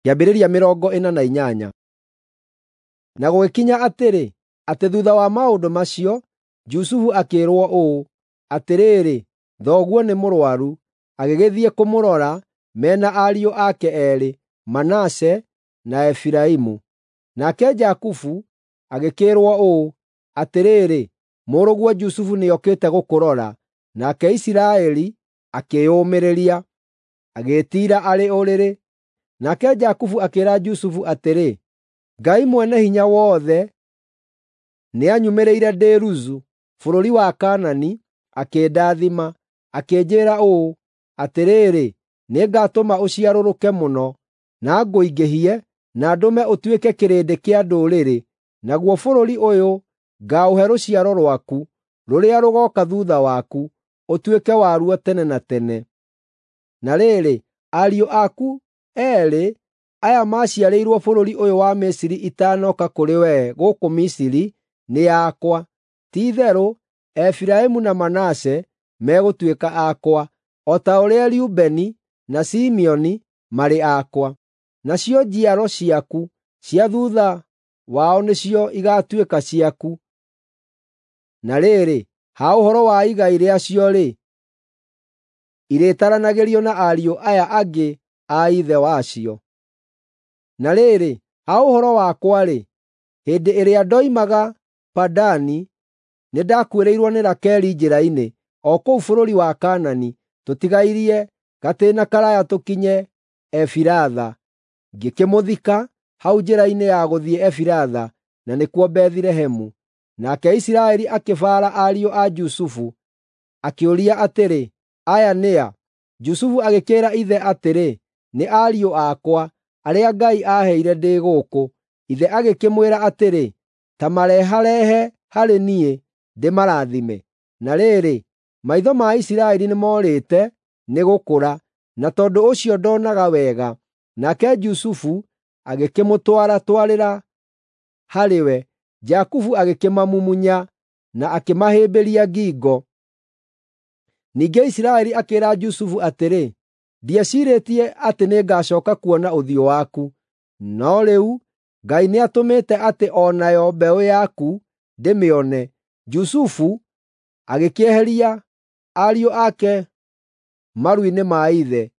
Kĩambĩrĩria 48. Na gũgĩkinya atĩrĩ, atĩ thuutha wa maũndũ macio, Jusufu akĩĩrwo ũũ, “Atĩrĩrĩ, thoguo nĩ mũrũaru.” Agĩgĩthiĩ kũmũrora me na ariũ ake eerĩ, Manase na Efiraimu. Nake Jakubu agĩkĩĩrwo ũũ, “Atĩrĩrĩ, mũrũguo Jusufu nĩokĩte gũkũrora.” Nake Isiraeli akĩĩyũmĩrĩria, agĩĩtiira arĩ ũrĩrĩ. Nake Jakubu akĩĩra Jusufu atĩrĩ, “Ngai Mwene-Hinya-Wothe nĩanyumĩrĩire ndĩ Luzu, bũrũri wa Kaanani, akĩndathima, akĩnjĩĩra ũũ, ‘Atĩrĩrĩ, nĩngatũma ũciarũrũke mũno, na ngũingĩhie, na ndũme ũtuĩke kĩrĩndĩ kĩa ndũrĩrĩ. Naguo bũrũri ũyũ ngaũhe rũciaro rwaku, rũrĩa rũgooka thuutha waku, ũtuĩke waruo tene na tene.’ Na rĩrĩ, ariũ aku eerĩ aya maaciarĩirwo bũrũri ũyũ wa Misiri itaanoka kũrĩ wee gũkũ Misiri nĩ akwa. Ti-itherũ Efiraimu na Manase megũtuĩka akwa, o ta ũrĩa Rubeni na Simeoni marĩ akwa. Nacio njiaro ciaku cia thuutha wao nĩcio igaatuĩka ciaku. Na rĩrĩ, ha ũhoro wa igai rĩacio-rĩ, irĩtaranagĩrio na ariũ aya angĩ a ithe wacio. Na rĩrĩ, ha ũhoro wakwa-rĩ, hĩndĩ ĩrĩa ndoimaga Padani, nĩndakuĩrĩirwo nĩ Rakeli njĩra-inĩ, o kũu bũrũri wa Kaanani, tũtigairie gatĩĩna karaaya tũkinye Efiratha. Ngĩkĩmũthika hau njĩra-inĩ ya gũthiĩ Efiratha, na nĩkuo Bethilehemu. Nake Isiraeli akĩbaara ariũ a Jusufu, akĩũria atĩrĩ, “Aya nĩ a?” Jusufu agĩkĩĩra ithe atĩrĩ, “Nĩ ariũ akwa, arĩa Ngai aaheire ndĩ gũkũ.” Ithe agĩkĩmwĩra atĩrĩ, “Ta mareharehe harĩ niĩ, ndĩmarathime.” Na rĩrĩ, maitho ma Isiraeli nĩmorĩte nĩ gũkũra, na tondũ ũcio ndoonaga wega. Nake Jusufu agĩkĩmũtwara-twarĩra harĩ we, Jakubu agĩkĩmamumunya na akĩmahĩmbĩria ngingo. Ningĩ Isiraeli akĩĩra Jusufu atĩrĩ, “Ndieciirĩtie atĩ nĩngacooka kuona ũthiũ waku, no rĩu Ngai nĩatũmĩte atĩ o nayo mbeũ yaku ndĩmĩone.” Jusufu agĩkĩeheria ariũ ake maru-inĩ ma ithe,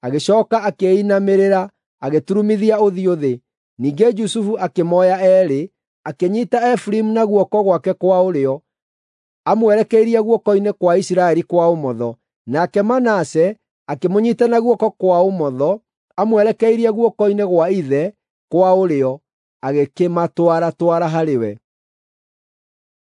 agĩcooka akĩinamĩrĩra, agĩturumithia ũthiũ thĩ. Ningĩ Jusufu akĩmooya eerĩ, akĩnyiita Efiraimu na guoko gwake kwa ũrĩo, amwerekeirie guoko-inĩ kwa Isiraeli kwa ũmotho, nake Manase akĩmũnyiita na guoko kwa ũmotho, amwerekeirie guoko-inĩ gwa ithe kwa ũrĩo, agĩkĩmatwaratwara harĩ we.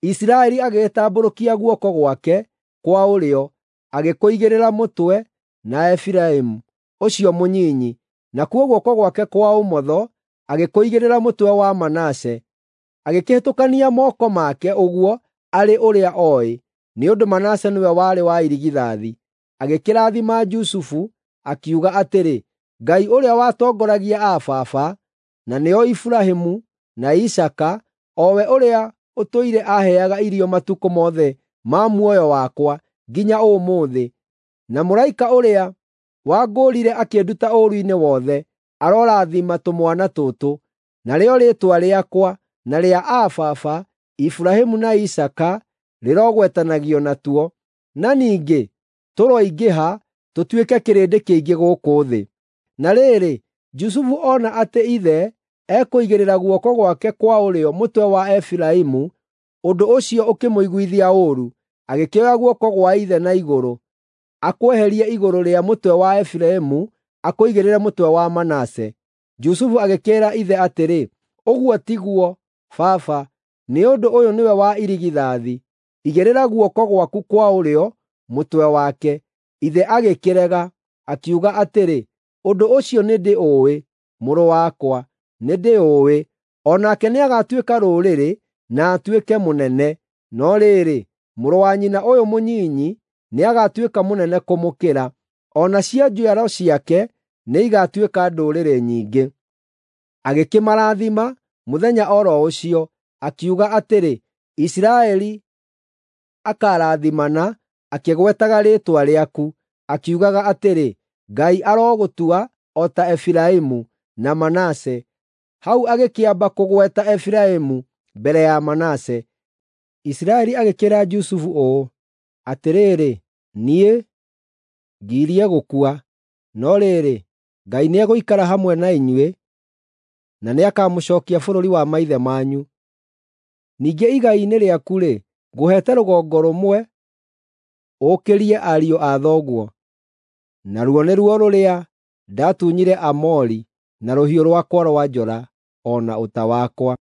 Isiraeli agĩgĩtambũrũkia guoko gwake kwa ũrĩo, agĩkũigĩrĩra mũtwe na Efiraimu ũcio mũnyinyi, nakuo guoko gwake kwa ũmotho agĩkũigĩrĩra mũtwe wa Manase. Agĩkĩhĩtũkania moko make ũguo arĩ ũrĩa ooĩ, nĩ ũndũ Manase nĩwe warĩ wa irigithathi. Agĩkĩrathima Jusufu, akiuga atĩrĩ, “Ngai ũrĩa watongoragia aa baba, na nĩo Iburahĩmu na Isaaka, o we ũrĩa ũtũire aaheaga irio matukũ mothe ma muoyo wakwa nginya ũmũthĩ, na mũraika ũrĩa wangũũrire akĩnduta ũũru-inĩ wothe, arorathima tũmwana tũtũ. Narĩo rĩĩtwa rĩakwa na rĩa aa baba, Iburahĩmu na Isaaka, rĩrogwetanagio natuo. Na ningĩ tũroingĩha tũtuĩke kĩrĩndĩ kĩingĩ gũkũ thĩ.” Na rĩrĩ, Jusufu ona atĩ ithe ekũigĩrĩra guoko gwake kwa ũrĩo mũtwe wa Efiraimu, ũndũ ũcio ũkĩmũiguithia ũũru, agĩkĩoya guoko gwa ithe na igũrũ, akweherie igũrũ rĩa mũtwe wa Efiraimu akũigĩrĩre mũtwe wa Manase. Jusufu agĩkĩĩra ithe atĩrĩ, “Ũguo tiguo, baba, nĩ ũndũ ũyũ nĩwe wa irigithathi. Igĩrĩra guoko gwaku kwa ũrĩo mũtwe wake.” Ithe agĩkĩrega, akiuga atĩrĩ, “Ũndũ ũcio nĩndĩũĩ, mũrũ wakwa, nĩndĩũĩ. O nake nĩagatuĩka rũrĩrĩ na atuĩke mũnene. No rĩrĩ, mũrũ wa nyina ũyũ mũnyinyi nĩagatuĩka mũnene kũmũkĩra, o nacio njiaro ciake nĩigatuĩka ndũrĩrĩ nyingĩ.” Agĩkĩmarathima mũthenya o ro ũcio, akiuga atĩrĩ, “Isiraeli akarathimana akĩgwetaga rĩĩtwa rĩaku, akiugaga atĩrĩ, ‘Ngai arogũtua o ta Efiraimu na Manase. Hau agĩkĩamba kũgweta Efiraimu mbere ya Manase. Isiraeli agĩkĩĩra Jusufu ũũ, “Atĩrĩrĩ, niĩ ngirie gũkua, no rĩrĩ, Ngai nĩegũikara hamwe na inyuĩ, na nĩakamũcookia bũrũri wa maithe manyu. Ningĩ igai-inĩ rĩaku-rĩ, ngũheete rũgongo rũmwe ũkĩrie ariũ a thoguo, naruo nĩruo rũrĩa ndaatunyire Aamori na rũhiũ rwakwa rwa njora o na ũta wakwa.”